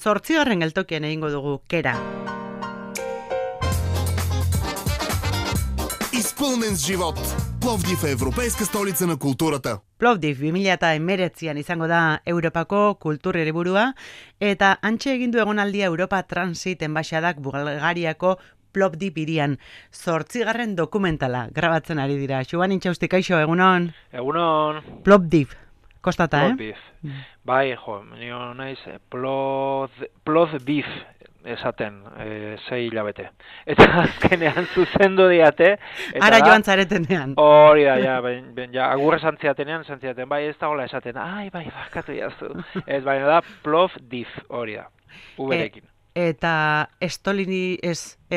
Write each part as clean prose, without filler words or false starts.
Zortzigarren geltokian egingo dugu kera. Изпълнен с живот. Пловдив е европейска столица на културата. Plovdiv 2019an izango da Europako kultur hiriburua eta hantxe egin du egonaldia Europa Transit Enbaxadak Bulgariako Plovdiv hirian. 8. dokumentala grabatzen ari dira. Xuan Intxausti, kaixo, egunon? Egunon. Plovdiv. Kostata, Plovdiv. Bai, jo, nio naiz Plovdiv esaten 6 hilabete. Eta azkenean zuzendu diate. Ara joan zaretenean. Hori da, ja, agurre zantziatenean, bai, ez da hola esaten. Ai, bai, barkatu jaztu. Ez, baina da Plovdiv, hori da, uberekin. Eta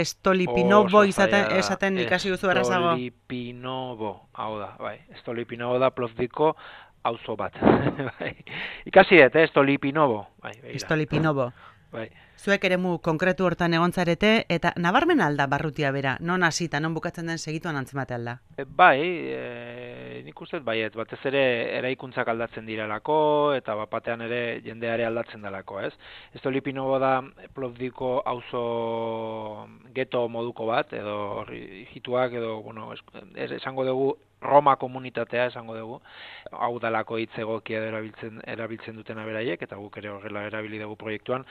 Stolipinovo esaten ikasi duzu errazago. Stolipinovo, hau da, bai. Stolipinovo da Plovdivko auzo bat. Ikasi dut, Stolipinovo. Stolipinovo. Bai. Zuek eremu konkretu hortan egon zarete, eta nabarmen alda barrutia bera, non hasita, non bukatzen den segituan antzemate alda? Bai, nik uste baiet, batez ere eraikuntzak aldatzen direlako, eta bapatean ere jendeare aldatzen delako, ez? Stolipinovo da Plovdivko auzo geto moduko bat, edo hituak, edo, bueno, esango dugu, Roma komunitatea esango dugu, hau dalako hitz egokia erabiltzen dutena beraiek, eta guk ere horrela erabili dugu proiektuan,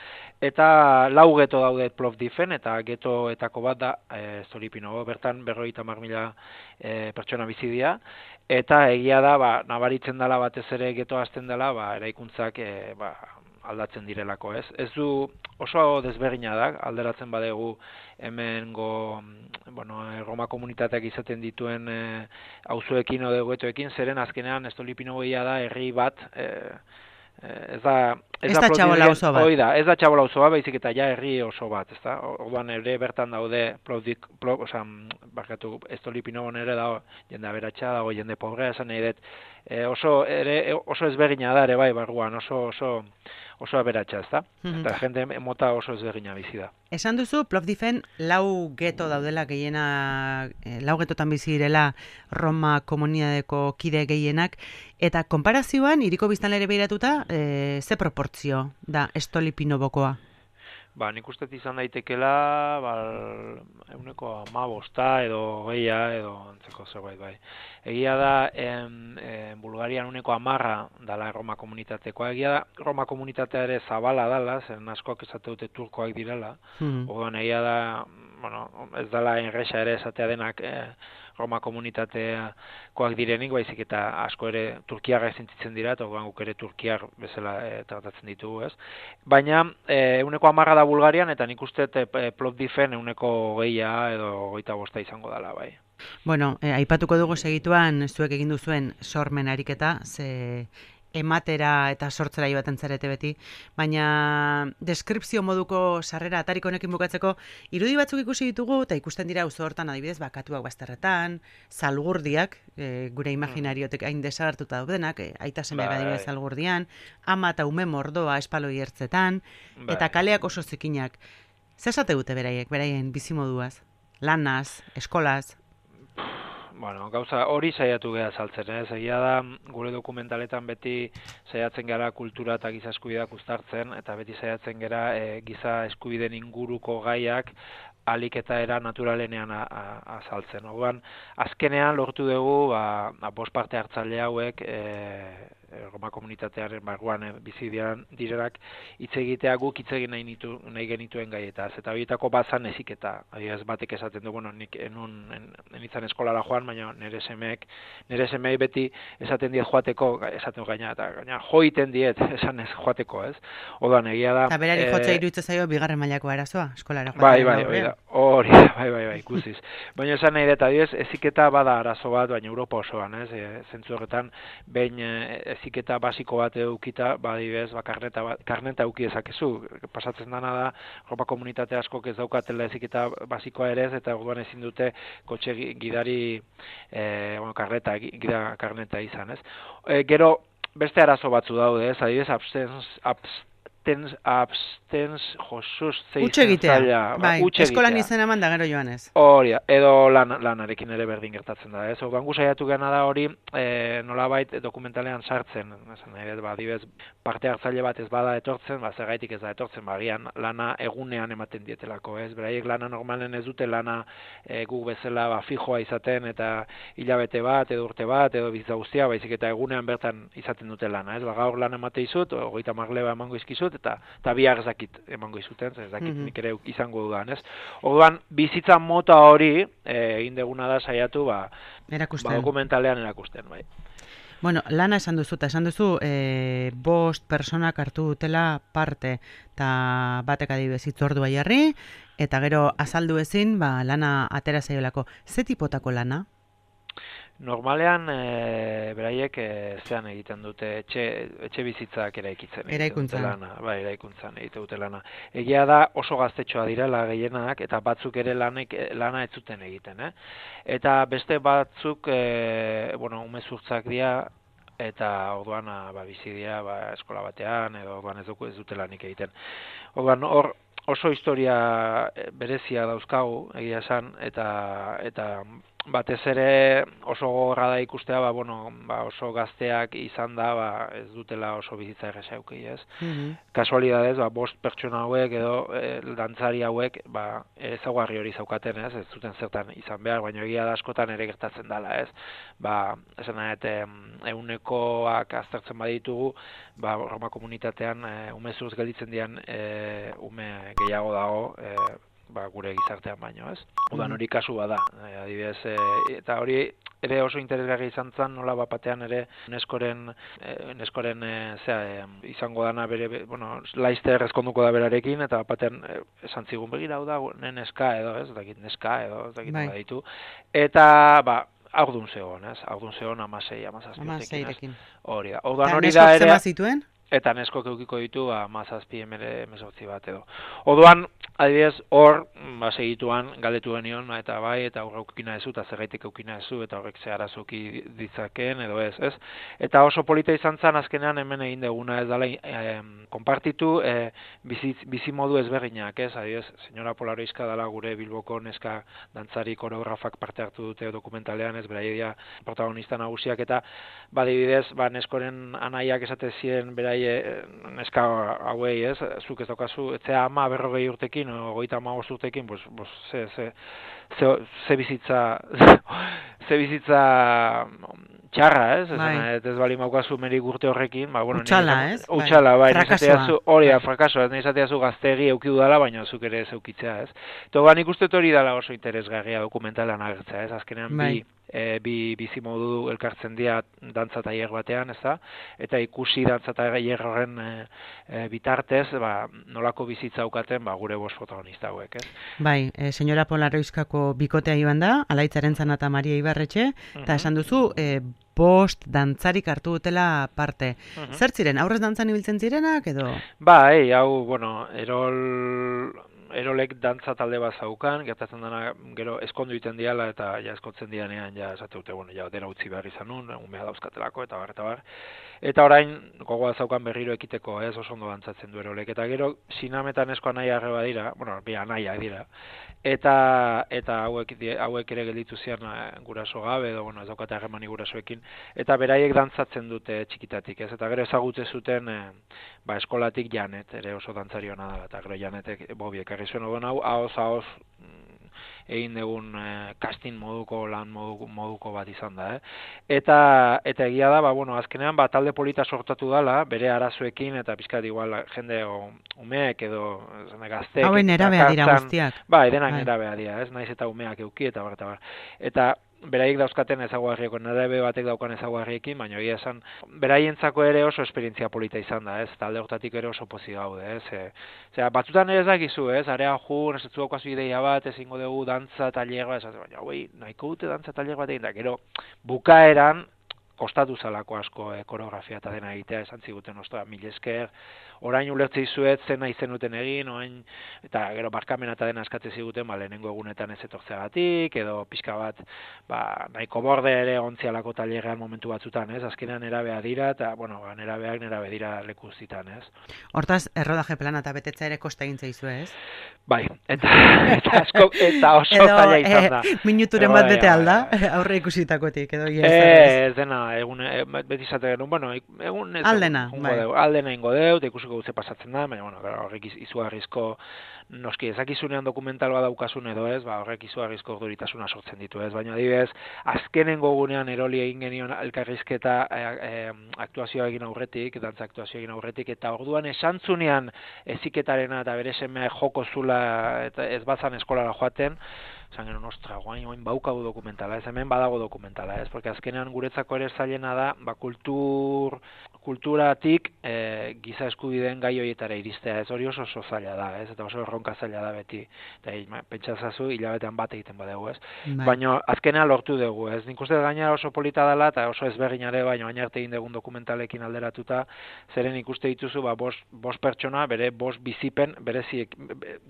eta lau geto daude Plovdiven, eta getoetako bat da Stolipinovo, bertan 50.000 pertsona bizi dira, eta egia da, nabaritzen dela batez ere geto hasten dela, eraikuntzak aldatzen direlako, ez? Ez du oso desberdina da, alderatzen badegu hemengo, Roma komunitateak izaten dituen auzoekin edo getoekin, zeren azkenean Stolipinovoia da herri bat, ez da txabola auzo bat. Hoi da, ez da txabola auzo bat, baizik eta ja herri oso bat, ezta? Orduan ere bertan daude Stolipinovon ere dago jende aberatsa, dago jende pobrea, esan nahi dut, oso ezberdina da ere bai barruan, oso aberatsa, ezta? Eta jende mota oso ezberdina bizi da. Esan duzu, Plovdiven lau geto daudela lau getotan bizi direla Roma komunitateko kide gehienak, eta konparazioan, hiriko biztanlere begiratuta, ze proportzio da Stolipinovokoa? Nik uste izan daitekela, 15 edo geia, edo antzeko zerbait, bai. Egia da, Bulgarian 10% dala Roma komunitatekoa. Egia da, Roma komunitatea ere zabala dala, zen askoak esate dute turkoak direla. Orduan, egia da, ez dala enresa ere esatea denak Roma komunitateakoak direnik, baizik eta asko ere turkiarra sentitzen dira, eta guk ere turkiar bezala tratatzen ditugu, ez? Baina, 10% da Bulgarian, eta nik uste Plovdiven 20 edo 25 izango dela, bai. Bueno, aipatuko dugu segituan zuek egin duzuen sormen ariketa, ze ematera eta sortzera joaten zarete beti, baina deskripzio moduko sarrera atariko honekin bukatzeko irudi batzuk ikusi ditugu, eta ikusten dira auzo hortan adibidez bakatuak bazterretan, zalgurdiak, gure imaginariotek hain desagertuta daudenak, aita semeak adibidez zalgurdian, ama eta ume mordoa espaloi ertzetan, eta kaleak oso zikinak. Zer esate dute beraien bizimoduaz? Lanaz, eskolaz? Gauza hori saiatu geha saltzen, ez? Egia da, gure dokumentaletan beti saiatzen gara kultura eta giza eskubideak uztartzen, eta beti saiatzen gara giza eskubideen inguruko gaiak alik eta era naturalenean azaltzen. Orduan, azkenean lortu dugu, 5 parte hartzaile hauek Roma komunitatearen barruan bizi direnak hitz egitea guk hitz egin nahi genituen gaietaz. Eta horietako bazan eziketa. Ez batek esaten du, nik enitzan eskolara joan, baina nire semei beti esaten diet joateko, esaten gaina joiten diet esan ez joateko, ez? Orduan egia da. Eta berari jotza iruditzen zaio bigarren mailako arazoa, eskolara joan. Bai, hori, ikusiz. Baina esan nahi dut, eziketa bada arazo bat, baina Europa osoan, ez? Zentzu horretan, behin eziketa basiko bat edukita, badibez, karneta eduki ezakezu. Pasatzen dana da, Europa komunitate askok ez daukatela eziketa basikoa ere ez, eta orduan ezin dute kotxe gidari karneta izan, ez? Gero, beste arazo batzu daude, ez? Adibidez, abstens josuz Utxe egitea, zaila, bai, utxe eskolan egitea. izena eman da gero joan ez. Hori, edo lanarekin ere berdin gertatzen da, ez? Orduan gu saiatu gana da hori nolabait dokumentalean sartzen, esan nahi dut, adibidez, parte hartzaile bat ez bada etortzen, zergaitik ez da etortzen, agian lana egunean ematen dietelako, ez? Beraiek lana normalen ez dute lana guk bezala fijoa izaten eta hilabete bat edo urte bat edo bizitza guztia, baizik eta egunean bertan izaten dute lana, ez? Gaur lana emate izut, 30 leba emango izkizut eta bihar ez dakit emango izuten, ez dakit nik ere izango dudan, ez? Orduan bizitza mota hori egin deguna da saiatu dokumentalean erakusten, bai. Bueno, lana esan duzu, eta esan duzu 5 personak hartu dutela parte, eta batek adibidez hitzordua jarri, eta gero azaldu ezin, lana atera zaiolako. Ze tipotako lana? Normalean, beraiek zean egiten dute etxe bizitzak eraikitzen. Eraikuntzan. Bai, eraikuntzan egiten dute lana. Egia da oso gaztetxoa direla gehienak, eta batzuk ere lana ez zuten egiten. Eta beste batzuk, umezurtzak dira, eta orduan bizi dira eskola batean, edo orduan ez dute lanik egiten. Orduan hor oso historia berezia dauzkagu, egia esan, eta batez ere oso gogorra da ikustea, oso gazteak izan da, ez dutela oso bizitza erresa eduki, ez? Kasualidadez, 5 pertsona hauek edo dantzari hauek, ezaugarri hori zaukaten, ez? Ez zuten zertan izan behar, baina egia da askotan ere gertatzen dela, ez? Esan nahet, ehunekoak aztertzen baditugu, Roma komunitatean umezurtz gelditzen dian ume gehiago dago, gure gizartean baino, ez? Udan hori kasu bada, adibidez, eta hori ere oso interesgarri izan zen, nola batean ere neskoren izango dana bere, laizter ezkonduko da berarekin, eta batean esan zigun begira, hau da, neska edo, ez dakit neska edo, ez dakit nola ditu, eta, aurdun zegoen, ez? Aurdun zegoen 16 hori da. Eta neskok zema zituen? Eta neskok eukiko ditu 17 bat edo. Orduan, adibidez, hor, segituan galdetu genion, eta horre eukina ezu, eta zergaitik eukina ezu, eta horrek ze arazoki ditzaken, edo ez. Eta oso polita izan zen, azkenean hemen egin deguna ez dala, konpartitu bizimodu ezberdinak, ez? Adibidez, senyora Polaroizka dela gure Bilboko neska dantzari koreografak parte hartu dute dokumentalean, ez beraia protagonista nagusiak, eta adibidez, neskoren anaiak esate ziren berai neska hauei, ez? Zuk ez daukazu, etzea 40 urtekin, 35 urtekin, ze bizitza txarra, ez? Ez bali maukazu merik urte horrekin, utxala, ez? Utxala, bai, frakasoa. Frakasoa, ez izateazu gaztegi eukidu dala, baina zuk ere zeukitzea, ez? Eta nik uste hori dela oso interesgarria dokumentalan agertzea, ez? Azkenean bi bizimodu elkartzen dira dantza tailer batean, ez da? Eta ikusi dantza tailer horren bitartez, nolako bizitza aukaten gure 5 protagonista hauek, ez? Bai, senyora Polaroizkako bikotea iban da, Alaitzaren Zana eta Maria Ibarretxe, eta esan duzu, 5 dantzarik hartu dutela parte. Zer ziren, aurrez dantzan ibiltzen zirenak, edo? Erolek dantza talde bat zaukan, gertatzen dena gero eskondu egiten diala eta eskotzen dianean esate dute, dena utzi behar izan nun, umea dauzkatelako eta bar. Eta orain gogoa zaukan berriro ekiteko, ez oso ondo dantzatzen du Erolek. Eta gero sinametan esko anaia arreba dira, bi anaiak dira. Eta hauek ere gelditu zian guraso gabe, edo ez daukate harremani gurasoekin, eta beraiek dantzatzen dute txikitatik, ez? Eta gero ezagutze zuten eskolatik Janet, ere oso dantzari hona da, eta gero Janetek Bobi ekarri zuen odon hau, ahoz egin dugun casting lan moduko bat izan da, Eta egia da, azkenean talde polita sortatu dala, bere arazoekin, eta pizkat igual jende umeek edo gazteek. Hauen erabea dira guztiak. Denak erabea dira, ez? Naiz eta umeak euki, eta bar. Eta beraiek dauzkaten ezaguarrieko, nerabe batek daukan ezaguarriekin, baina egia esan, beraientzako ere oso esperientzia polita izan da, ez? Talde hortatik ere oso pozik gaude, ez? Batzutan ere ez dakizu, ez? Area ez dut daukazu ideia bat, ezingo dugu dantza tailer bat, baina nahiko dute dantza tailer bat egin da, gero bukaeran kostatu zalako asko koreografia eta dena egitea, esan ziguten, ostra, mil esker, orain ulertzei zuet zen nahi zenuten egin, orain, eta gero barkamena eta dena eskatze ziguten, lehenengo egunetan ez etortzeagatik, edo pixka bat, nahiko borde ere ontzialako tailerrean momentu batzutan, ez? Azkenean nerabea dira, eta, nerabeak nerabe dira leku zitan, ez? Hortaz, errodaje plana eta betetza ere kosta egin zaizu, ez? Bai, eta oso zaila izan da. Minuturen bat bete alda, aurre ikusitakotik, edo ez dena, beti izate genuen, egun ez aldena, aldena ingo deu, eta ikusiko gutze pasatzen da, baina, horrek izugarrizko, noski ezakizunean dokumental bat daukasun edo ez, horrek izugarrizko orduritasuna sortzen ditu ez, baina adibidez, azkenengo gunean eroli egin genion elkarrizketa aktuazioa egin aurretik, dantza aktuazioa egin aurretik, eta orduan esantzunean eziketarena eta bere semea joko zula eta ez bazan eskolara joaten, esan genuen, ostra, guain baukagu dokumentala, ez hemen badago dokumentala, ez, porque azkenean guretzako ere zailena da, kulturatik giza eskubideen gai horietara iristea, ez hori oso zaila da, ez, eta oso erronka zaila da beti, eta pentsazazu hilabetean bat egiten badegu, ez, baina azkenean lortu dugu, ez, nik uste gainera oso polita dela, eta oso ezberdinare, baina baina arte egin dugun dokumentalekin alderatuta, zeren ikuste dituzu, bost pertsona, bere bost bizipen, bereziek,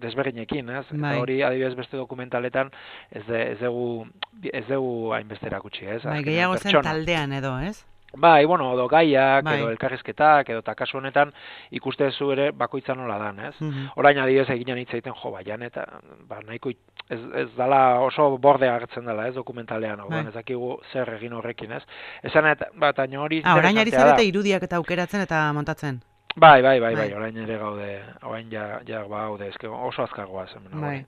desberdinekin, ez, eta hori adibidez beste dokumentaletan, ez dugu hainbeste erakutsi, ez? Gehiago zen taldean edo, ez? Bai, edo gaiak, edo elkarrizketak, edo eta kasu honetan ikuste zu ere bakoitza nola dan, ez? Orain adibidez eginen hitz egiten baian, eta nahiko ez dala oso borde agertzen dela, ez, dokumentalean, ez dakigu zer egin horrekin, ez? Esan eta hori orain ari zarete irudiak eta aukeratzen eta montatzen. Bai, orain ere gaude, orain ja gaude, eske oso azkargoa zen. Bai.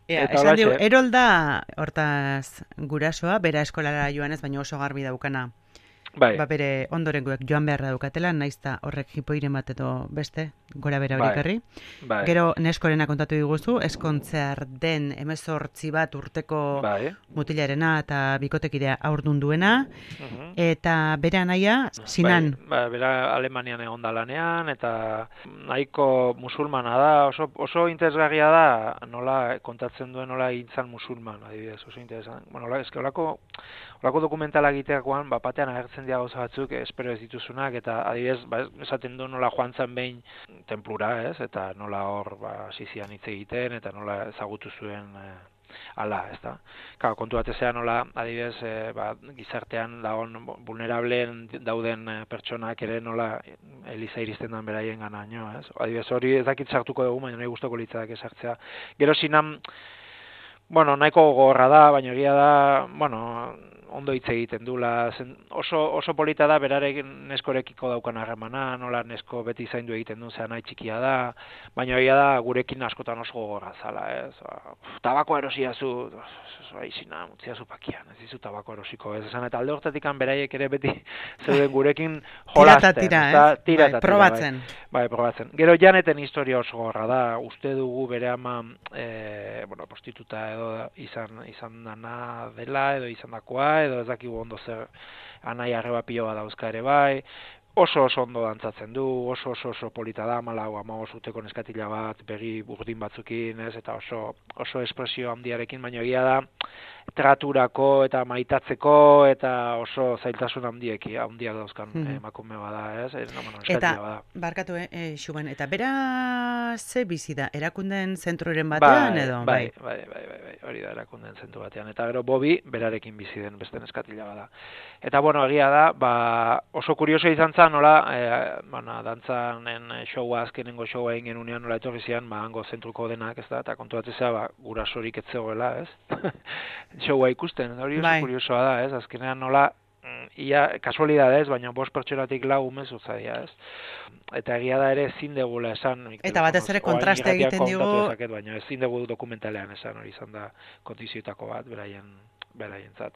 Esan diu, Erol da, hortaz gurasoa, bera eskolara joanez, baina oso garbi daukana. Bai. Bere ondorengoek joan beharra daukatela, naizta horrek hipoiren bat edo beste, gora bera horiek herri. Bai. Gero neskorena kontatu diguzu, eskontzear den 18 bat urteko mutilarena eta bikotekidea aurdun duena, eta bera naia, Sinan. Bera Alemanian egon da lanean, eta nahiko musulmana da, oso interesgarria da, nola kontatzen duen nola egintzan musulman, adibidez, oso interesan. Horako dokumentala egiteakoan, batean agertzen dira gauza batzuk, espero ez dituzunak, eta adibidez, esaten du nola joan zen behin tenplura, ez? Eta nola hor zizian hitz egiten, eta nola ezagutu zuen ala, ez da? Kontu batezea nola, adibidez, gizartean dagoen vulnerableen dauden pertsonak ere nola eliza iristen den beraien ganaino, ez? Adibidez, hori ez dakit sartuko dugu, baina nahi gustoko litzadak esartzea. Gero Sinan, nahiko gogorra da, baina egia da, ondo hitz egiten dula, oso polita da berarekin neskorekiko daukan harremana, nola nesko beti zaindu egiten duen zean nahi txikia da, baina egia da gurekin askotan oso gogorra zala, ez? Tabako erosiazu, izina, utziazu pakian, ez dizu tabako erosiko, ez? Esan eta alde hortatik beraiek ere beti zeuden gurekin jolasten. Tira, probatzen. Bai, probatzen. Gero Janeten historia oso gogorra da, uste dugu bere ama, prostituta edo izan dana dela, edo izan dakoa, edo ez dakigu ondo zer anai arreba piloa dauzka ere bai, oso ondo dantzatzen du, oso polita da, 14-15 urteko neskatila bat, begi burdin batzukin, ez, eta oso espresio handiarekin, baina egia da, traturako eta maitatzeko eta oso zailtasun handiak dauzkan emakume bada, ez? Eta, barkatu, Xuben, eta bera ze bizi da, erakunden zentroren batean edo? Bai, hori da erakunden zentru batean. Eta gero Bobi berarekin bizi den beste neskatila bada. Eta, egia da, oso kurioso izan zen, nola, dantzanen showa, azkenengo showa egin genunean nola etorri zian, hango zentruko denak, ez da, eta kontu batzea, gurasorik ez zegoela, ez? Showa ikusten, hori oso kuriosoa da, ez? Azkenean nola, kasualidadez, baina 5 pertsonatik 4 ume zuzadia, ez? Eta egia da ere ezin degula esan. Eta batez ere kontraste egiten digu. Baina ezin dugu dokumentalean esan, hori izan da kondizioetako bat, beraientzat.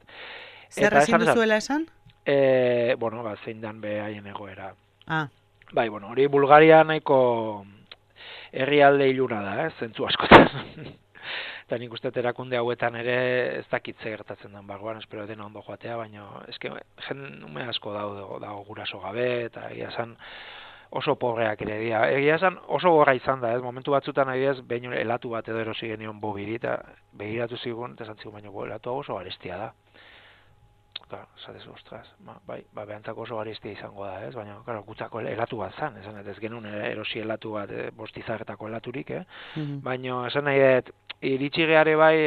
Zer ezin duzuela esan? Zein dan behaien egoera. Bai, hori Bulgaria nahiko herrialde iluna da, zentzu askotan. Eta nik uste erakunde hauetan ere ez dakitze gertatzen den barruan, espero dena ondo joatea, baina eske ume asko dago guraso gabe, eta egia esan oso pobreak ere dira. Egia esan oso gorra izan da, momentu batzutan adibidez behin helatu bat edo erosi genion Bobiri, eta begiratu zigun, eta esan zigun, baina helatu oso garestia da. esatezu, ostras, bai, behantzako oso garestia izango da, ez? Baina, claro, gutzako helatu bat zan, esan ez genuen erosi helatu bat, bostizarretako helaturik, Baina, esan nahi dut, iritsi geare bai,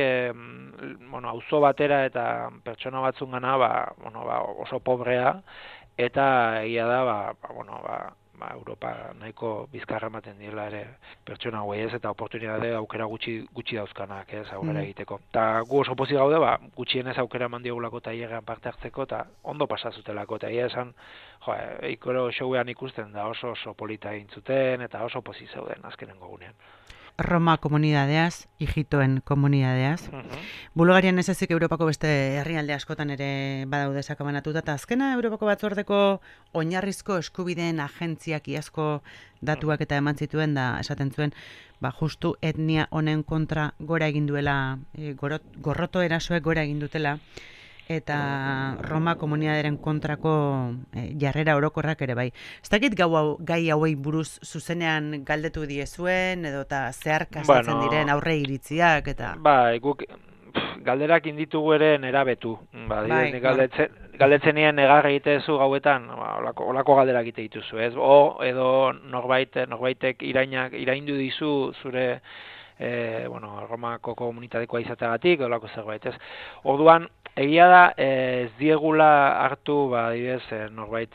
auzo batera eta pertsona batzungana, oso pobrea, eta egia da, Europa nahiko bizkarra ematen diela ere pertsona hauei ez, eta oportunitate aukera gutxi dauzkanak, ez, aurrera egiteko. Eta gu oso pozik gaude, gutxienez aukera eman diogulako tailerrean parte hartzeko, eta ondo pasazutelako, eta egia esan, ikoro showean ikusten da oso polita egin zuten, eta oso pozik zeuden azkenengo gunean. Roma komunidadeaz, hijitoen komunidadeaz. Bulgarian ez ezik Europako beste herrialde askotan ere badaude sakabanatuta, eta azkena Europako batzordeko oinarrizko eskubideen agentziak iazko datuak eta eman zituen da esaten zuen, justu etnia honen kontra gora egin duela, gorroto erasoek gora egin dutela, eta Roma komunidaderen kontrako jarrera orokorrak ere bai. Ez dakit gai hauei buruz zuzenean galdetu diezuen, edo eta zeharkastatzen diren aurre iritziak, eta... Guk galderak inditugu ere nerabetu. Galdetzen nien negar egitezu gauetan, olako galderak egite dituzu, ez? Edo norbaitek iraindu dizu zure Romako komunitatekoa izateagatik, olako zerbait, ez? Orduan, egia da, ez diegula hartu, adibidez, norbait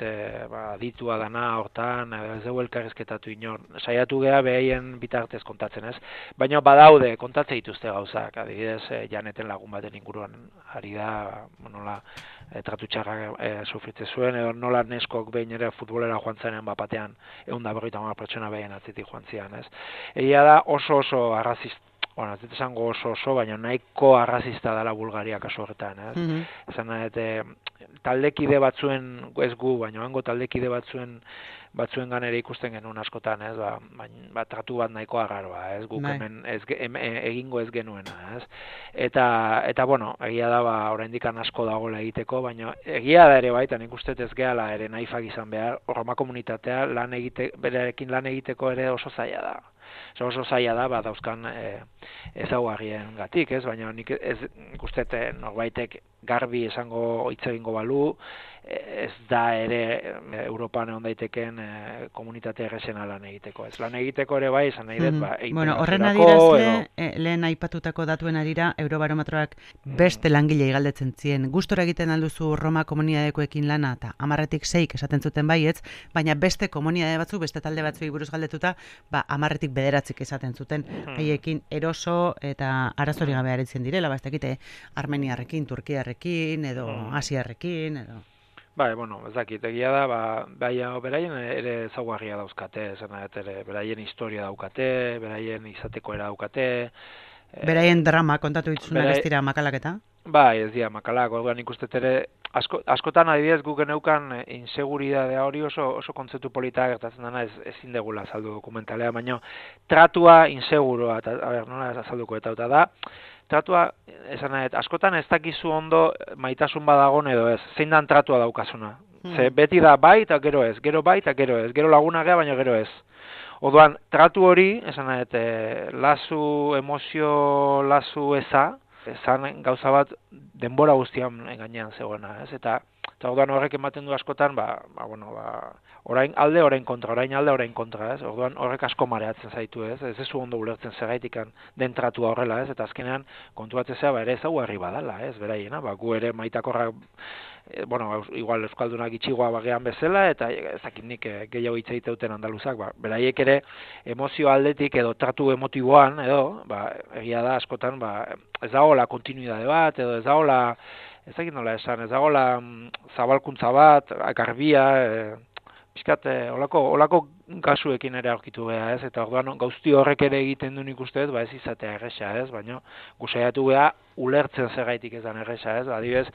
aditua dana hortan, ez dugu elkarrizketatu inor, saiatu geha behaien bitartez kontatzen, ez? Baina badaude, kontatze dituzte gauzak, adibidez, Janeten lagun baten inguruan ari da, nola tratu txarrak sufritze zuen, edo nola neskok behin ere futbolera joan zenen batean, 150 pertsona behin atzitik joan zian, ez? Egia da oso arrazista, ez dut esango oso, baina nahiko arrazista dela Bulgaria kasu horretan, ez? Esan taldekide batzuen, ez gu, baina hango taldekide batzuen ganera ikusten genuen askotan, ez? Tratu bat nahiko agarroa, ez? Guk hemen egingo ez genuena, ez? Eta egia da, oraindik asko dagoela egiteko, baina egia da ere baita, nik uste ez gehala ere naifak izan behar, Roma komunitatea berekin lan egiteko ere oso zaila da. Oso zaila da, dauzkan ezaugarrien gatik, ez? Baina nik uste norbaitek garbi esango hitz egingo balu, ez da ere Europan egon daiteken komunitate errezena lan egiteko. Ez lan egiteko ere bai, esan nahi dut, horren adirazle, lehen aipatutako datuen arira, Eurobarometroak beste langilei galdetzen zien. Gustora egiten alduzu Roma komunidadekoekin lana, eta 10-tik 6 esaten zuten baietz, baina beste komunidade batzu, beste talde batzuei buruz galdetuta, 10-tik 9 esaten zuten, haiekin eroso eta arazori gabe aritzen direla, ez dakite, Armeniarrekin, Turkiarrekin, edo Asiarrekin, edo... ez dakit, egia da, beraien ere ezaugarria dauzkate, beraien historia daukate, beraien izateko era daukate. Beraien drama, kontatu ditzunak ez dira makalaketa? Ez dira makalak, orduan ikustet ere, askotan adibidez guk geneukan inseguridadea hori oso kontzeptu polita gertatzen dena ezin degula azaldu dokumentalea, baina tratua inseguroa, nola azalduko eta da, tratua, esan nahi, askotan ez dakizu ondo maitasun badagon edo ez, zein dan tratua daukazuna. Ze beti da bai eta gero ez, gero bai eta gero ez, gero laguna gea baina gero ez. Orduan, tratu hori, esan nahi, emozio lasu eza, ezan gauza bat denbora guztian gainean zegoena, ez? Eta orduan horrek ematen du askotan, orain alde, orain kontra, ez? Orduan horrek asko mareatzen zaitu, ez? Ez zu ondo ulertzen zergaitikan den tratua horrela, ez? Eta azkenean kontuatzea ere ezaugarri badala, ez? Beraiena, gu ere maitakorrak, igual euskaldunak itxigoa bagean bezala, eta ezakinik gehiago hitz egiteuten andaluzak, beraiek ere emozio aldetik edo tratu emotiboan, edo, egia da askotan, ez dagoela kontinuidade bat, edo ez dagoela, ezakit nola esan, ez dagoela zabalkuntza bat, garbia, pixkat, olako kasuekin ere aurkitu geha, ez? Eta orduan gauzti horrek ere egiten du nik uste ez, ez izatea erresa, ez? Baina gusaiatu geha ulertzen zergaitik ez dan erresa, ez? Adibidez,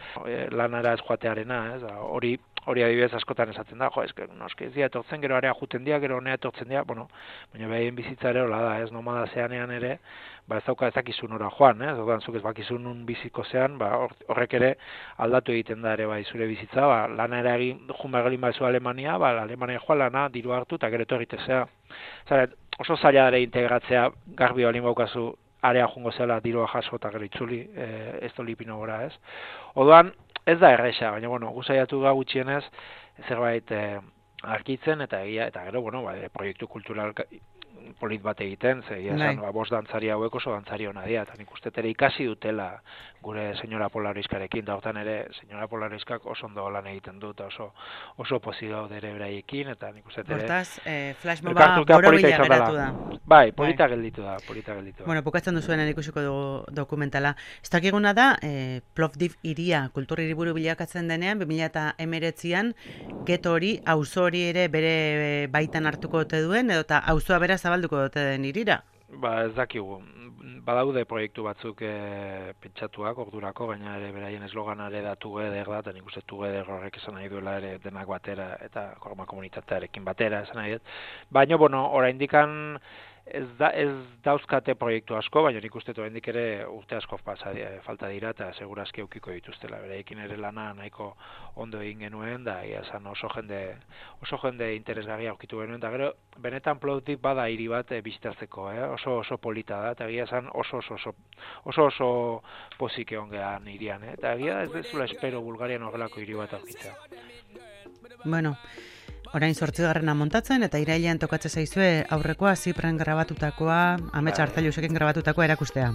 lanara ez joatearena, ez? Hori adibidez askotan esaten da, noski ez dira etortzen, gero area juten dira, gero honea etortzen dira, baina behien bizitza ere hola da, ez? Nomada zeanean ere, ez dakizun ora joan, ez? Orduan zuk ez bakizun nun biziko zean, horrek ere aldatu egiten da ere zure bizitza, lanara egin junbagelin baizu Alemania, Alemania joan lana, diru hartu, eta gero etorritezea. Oso zaila ere integratzea garbi balin baukazu area jungo zela dirua jaso eta gero itzuli, ez dolipino gora, ez? Orduan, Ez da erresa, baina, bueno, guzaiatu ga gutxienez, zerbait arkitzen, eta gero, bueno, proiektu kultural polit bat egiten, ze esan, bost dantzari hauek oso dantzari hona dira, eta nik uste ere ikasi dutela gure senyora Polariskarekin, da hortan ere senyora Polariskak oso ondo lan egiten du, eta oso pozik gaude ere beraiekin, eta nik uste ere... Hortaz, flashmoba borobila geratu da. Bai, polita gelditu da. Bueno, bukatzen duzuen ikusiko dugu dokumentala. Ez dakiguna da, Plovdiv iria kultur hiriburu bilakatzen denean, 2019an, geto hori, auzo hori ere bere baitan hartuko ote duen, edo eta auzoa bera zabalduko dute den irira? Ba, ez dakigu. Badaude proiektu batzuk pentsatuak ordurako, baina ere beraien esloganare da together da, eta nik uste together horrek esan nahi duela ere denak batera, eta korma komunitatearekin batera esan nahi dut. Baina, bueno, oraindikan ez dauzkate proiektu asko, baina nik uste oraindik ere urte asko falta dira, eta segurazki eukiko dituztela. Beraiekin ere lana nahiko ondo egin genuen, da esan oso jende interesgarria aurkitu genuen, eta gero benetan Plovdiv bada hiri bat bizitatzeko, oso polita da, eta egia esan oso pozik egon gehan hirian, eta egia ez dezula espero Bulgarian horrelako hiri bat aurkitzea. Bueno, orain 8. montatzen, eta irailean tokatzen zaizue aurrekoa Zipren grabatutakoa, Amets Artzailusekin grabatutakoa erakustea.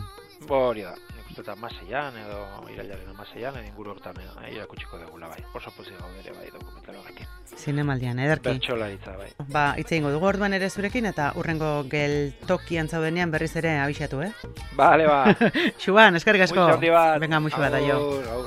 Hori da. Eta amaseian edo irailaren amaseian inguru hortan irakutsiko dugula bai. Oso pozik gaude ere bai dokumental horrekin. Zinemaldian, ederki. Bertsolaritza bai. Ba, hitz egingo dugu orduan ere zurekin eta hurrengo geltokian zaudenean berriz ere abixatu, Bale, ba. Xuban, eskerrik asko. Muixo handi bat. Venga, muixo bat, aio. Aur.